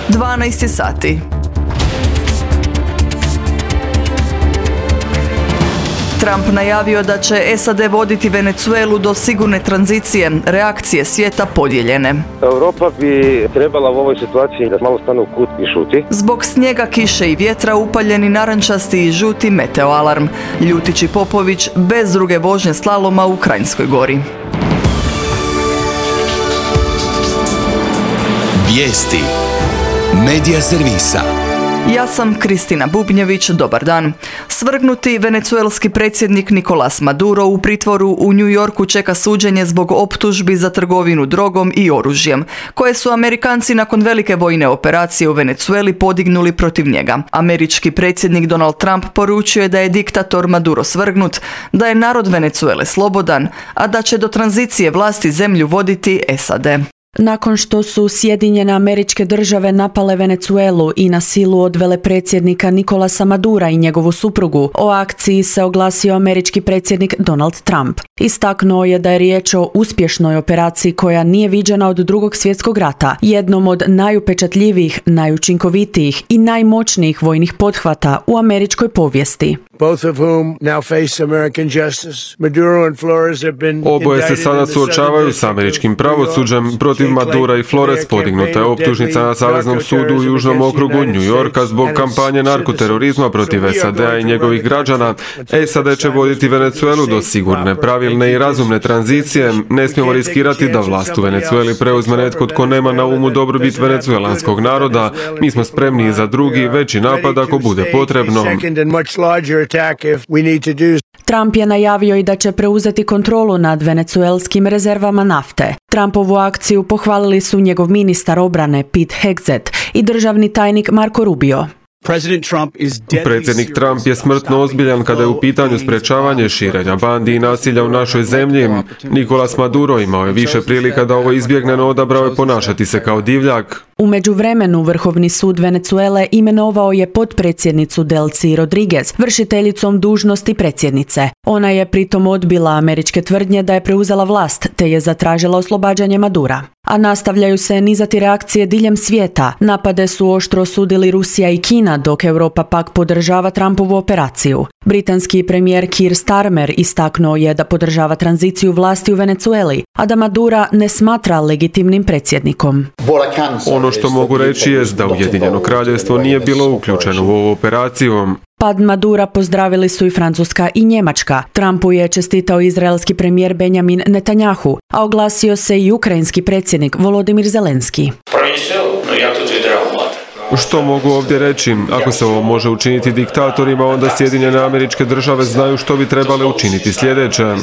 12 sati. Trump najavio da će SAD voditi Venezuelu do sigurne tranzicije, reakcije svijeta podijeljene. Europa bi trebala u ovoj situaciji da malo stane u kut i šuti. Zbog snijega, kiše i vjetra upaljeni narančasti i žuti meteoalarm. Ljutić i Popović bez druge vožnje slaloma u Kranjskoj Gori. Vijesti Medija servisa. Ja sam Kristina Bubnjević, dobar dan. Svrgnuti venecuelski predsjednik Nicolás Maduro u pritvoru u New Yorku čeka suđenje zbog optužbi za trgovinu drogom i oružjem, koje su Amerikanci nakon velike vojne operacije u Venecueli podignuli protiv njega. Američki predsjednik Donald Trump poručio je da je diktator Maduro svrgnut, da je narod Venecuele slobodan, a da će do tranzicije vlasti zemlju voditi SAD. Nakon što su Sjedinjene Američke Države napale Venecuelu i na silu odvele predsjednika Nicolasa Madura i njegovu suprugu, o akciji se oglasio američki predsjednik Donald Trump. Istaknuo je da je riječ o uspješnoj operaciji koja nije viđena od Drugog svjetskog rata, jednom od najupečatljivijih, najučinkovitijih i najmoćnijih vojnih pothvata u američkoj povijesti. Oboje se sada suočavaju s američkim pravosuđem. Protiv Madura i Flores podignuta je optužnica na Saveznom sudu u Južnom okrugu New Yorka zbog kampanje narkoterorizma protiv SAD-a i njegovih građana. SAD će voditi Venecuelu do sigurne, pravilne i razumne tranzicije. Ne smijemo riskirati da vlast u Venecueli preuzme netko tko nema na umu dobrobit venecuelanskog naroda. Mi smo spremni za drugi, veći napad ako bude potrebno. Trump je najavio i da će preuzeti kontrolu nad venecuelskim rezervama nafte. Trumpovu akciju pohvalili su njegov ministar obrane Pete Hegseth i državni tajnik Marco Rubio. Predsjednik Trump je smrtno ozbiljan kada je u pitanju sprečavanje širenja bandi i nasilja u našoj zemlji. Nicolás Maduro imao je više prilika da ovo izbjegne, no odabrao je ponašati se kao divljak. U međuvremenu Vrhovni sud Venecuele imenovao je potpredsjednicu Delcy Rodriguez vršiteljicom dužnosti predsjednice. Ona je pritom odbila američke tvrdnje da je preuzela vlast te je zatražila oslobađanje Madura. A nastavljaju se nizati reakcije diljem svijeta. Napade su oštro osudili Rusija i Kina, dok Europa pak podržava Trumpovu operaciju. Britanski premijer Keir Starmer istaknuo je da podržava tranziciju vlasti u Venecueli, a da Madura ne smatra legitimnim predsjednikom. Ono što mogu reći je da Ujedinjeno kraljevstvo nije bilo uključeno u ovu operaciju. Pad Madura pozdravili su i Francuska i Njemačka. Trumpu je čestitao izraelski premijer Benjamin Netanjahu, a oglasio se i ukrajinski predsjednik Volodymyr Zelenski. Što mogu ovdje reći? Ako se ovo može učiniti diktatorima, onda Sjedinjene Američke Države znaju što bi trebale učiniti sljedeće.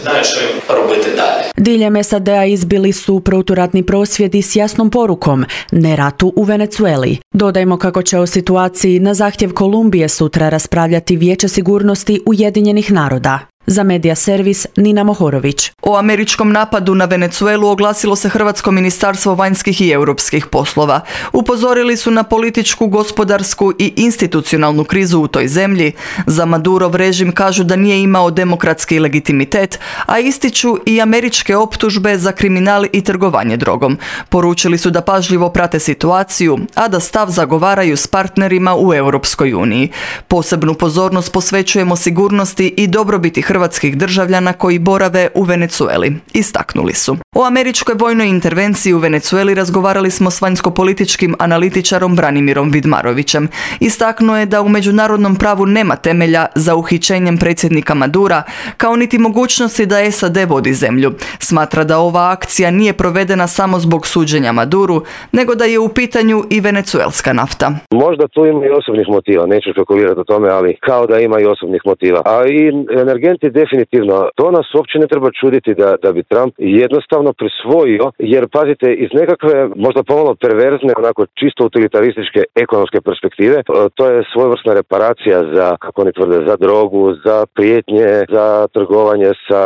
Diljem SAD-a izbili su proturatni prosvjedi s jasnom porukom ne ratu u Venecueli. Dodajmo kako će o situaciji na zahtjev Kolumbije sutra raspravljati Vijeće sigurnosti Ujedinjenih naroda. Za Medija servis Nina Mohorović. O američkom napadu na Venecuelu oglasilo se Hrvatsko ministarstvo vanjskih i europskih poslova. Upozorili su na političku, gospodarsku i institucionalnu krizu u toj zemlji. Za Madurov režim kažu da nije imao demokratski legitimitet, a ističu i američke optužbe za kriminal i trgovanje drogom. Poručili su da pažljivo prate situaciju, a da stav zagovaraju s partnerima u Europskoj uniji. Posebnu pozornost posvećujemo sigurnosti i dobrobiti hrvatskih državljana koji borave u Venecueli, istaknuli su. O američkoj vojnoj intervenciji u Venecueli razgovarali smo s vanjskopolitičkim analitičarom Branimirom Vidmarovićem. Istaknuo je da u međunarodnom pravu nema temelja za uhićenjem predsjednika Madura, kao niti mogućnosti da SAD vodi zemlju. Smatra da ova akcija nije provedena samo zbog suđenja Maduru, nego da je u pitanju i venecuelska nafta. Možda tu ima i osobnih motiva, neću spekulirati o tome, ali kao da ima i osobnih motiva. A i energenti definitivno, to nas uopće ne treba čuditi da bi Trump jednostavno prisvojio, jer pazite, iz nekakve možda pomalo perverzne, onako čisto utilitarističke ekonomske perspektive, to je svojevrsna reparacija za, kako oni tvrde, za drogu, za prijetnje, za trgovanje sa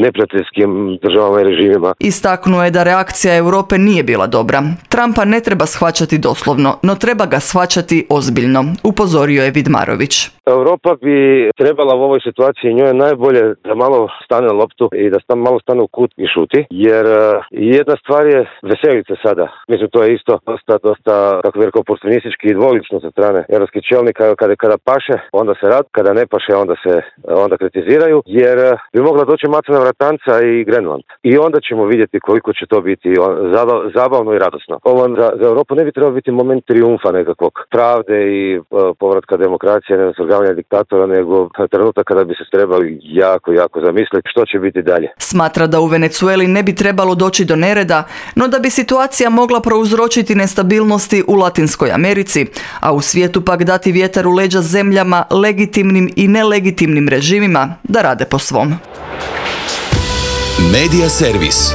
neprijateljskim državama i režimima. Istaknuo je da reakcija Europe nije bila dobra. Trumpa ne treba shvaćati doslovno, no treba ga shvaćati ozbiljno, upozorio je Vidmarović. Europa bi trebala u ovoj situaciji, njoj je najbolje da malo stane loptu i da malo stane u kut i šuti, jer jedna stvar je veseliti se sada. Mislim, to je isto dosta, kako bih rekao, oportunistički i dvolično sa strane europskih čelnika. Kada paše, onda se rad, kada ne paše, onda kritiziraju, jer bi mogla doći Macuna Vratanca i Grenland. I onda ćemo vidjeti koliko će to biti zabavno i radosno. Ovo za Europu ne bi trebao biti moment trijumfa nekakvog pravde i povratka demokracije, ne svrgavanja diktatora, nego trenutak kada bi se trebali jako zamisliti što će biti dalje. Smatra da u Venezueli ne bi trebalo doći do nereda, no da bi situacija mogla prouzročiti nestabilnosti u Latinskoj Americi, a u svijetu pak dati vjetar u leđa zemljama, legitimnim i nelegitimnim režimima da rade po svom. Medija servis.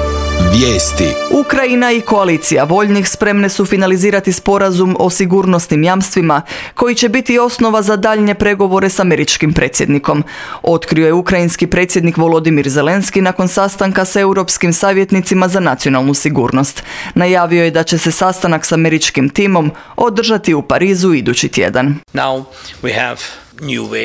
Vijesti. Ukrajina i koalicija voljnih spremne su finalizirati sporazum o sigurnosnim jamstvima koji će biti osnova za daljnje pregovore s američkim predsjednikom. Otkrio je ukrajinski predsjednik Volodimir Zelenski nakon sastanka s europskim savjetnicima za nacionalnu sigurnost. Najavio je da će se sastanak s američkim timom održati u Parizu idući tjedan.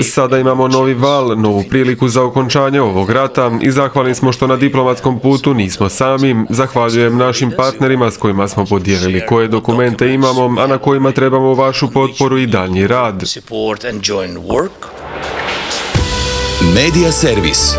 Sada imamo novi val, novu priliku za okončanje ovog rata i zahvalni smo što na diplomatskom putu nismo sami. Zahvaljujem našim partnerima s kojima smo podijelili koje dokumente imamo, a na kojima trebamo vašu potporu i daljnji rad. Medija servis.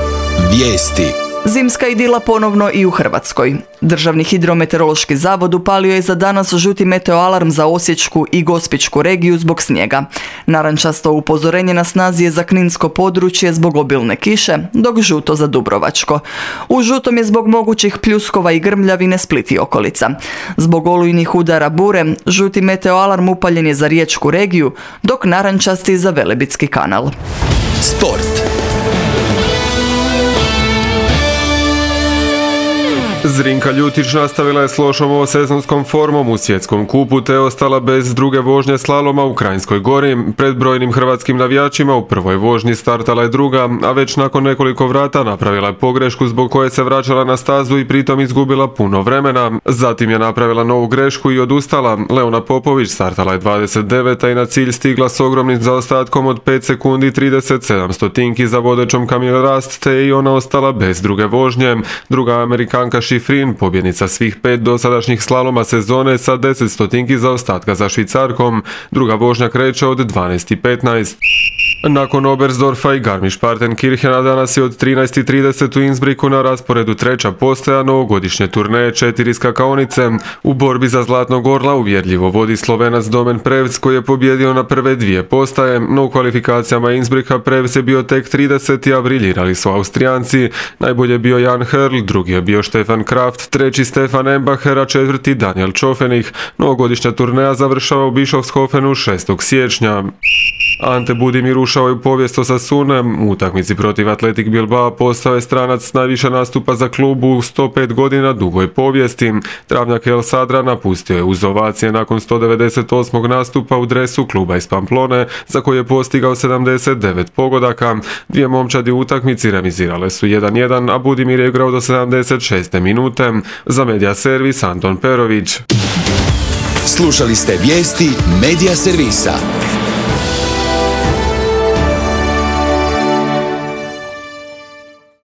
Vijesti. Zimska idila ponovno i u Hrvatskoj. Državni hidrometeorološki zavod upalio je za danas žuti meteoalarm za Osječku i Gospićku regiju zbog snijega. Narančasto upozorenje na snazi je za kninsko područje zbog obilne kiše, dok žuto za Dubrovačko. U žutom je zbog mogućih pljuskova i grmljavine Split i okolica. Zbog olujnih udara bure, žuti meteoalarm upaljen je za Riječku regiju, dok narančasti za Velebitski kanal. Sport. Zrinka Ljutić nastavila je s lošom ovosezonskom formom u svjetskom kupu te ostala bez druge vožnje slaloma u Kranjskoj Gori. Pred brojnim hrvatskim navijačima u prvoj vožnji startala je druga, a već nakon nekoliko vrata napravila je pogrešku zbog koje se vraćala na stazu i pritom izgubila puno vremena. Zatim je napravila novu grešku i odustala. Leona Popović startala je 29. i na cilj stigla s ogromnim zaostatkom od 5 sekundi 37 stotinki za vodećom Camille Rast, te je i ona ostala bez druge vožnje. Druga Amerikanka Šifrin, pobjednica svih 5 dosadašnjih slaloma sezone sa 10 stotinki zaostatka za Švicarkom. Druga vožnja kreće od 12:15. Nakon Oberstdorfa i Garmisch-Partenkirchena danas je od 13:30 u Innsbrucku na rasporedu treća postaja novogodišnje turneje 4 skakaonice. U borbi za Zlatnog orla uvjerljivo vodi Slovenac Domen Prevc koji je pobjedio na prve dvije postaje, no u kvalifikacijama Innsbrucka Prevc je bio tek 30, a briljirali su Austrijanci. Najbolje je bio Jan Herl, drugi je bio Stefan Kraft, treći Stefan Embacher, a četvrti Daniel Čofenih. Novogodišnja turneja završava u Bischofshofenu 6. siječnja. Ante Budimir ušao je u povijest Osasune. U utakmici protiv Athletic Bilbao postao je stranac s najviše nastupa za klub u 105 godina dugoj povijesti. Travnjak El Sadra napustio je uz ovacije nakon 198. nastupa u dresu kluba iz Pamplone, za koji je postigao 79 pogodaka. Dvije momčadi u utakmici remizirale su 1:1, a Budimir je igrao do 76. minute. Za Medija servis Anton Perović. Slušali ste vijesti Medija servisa.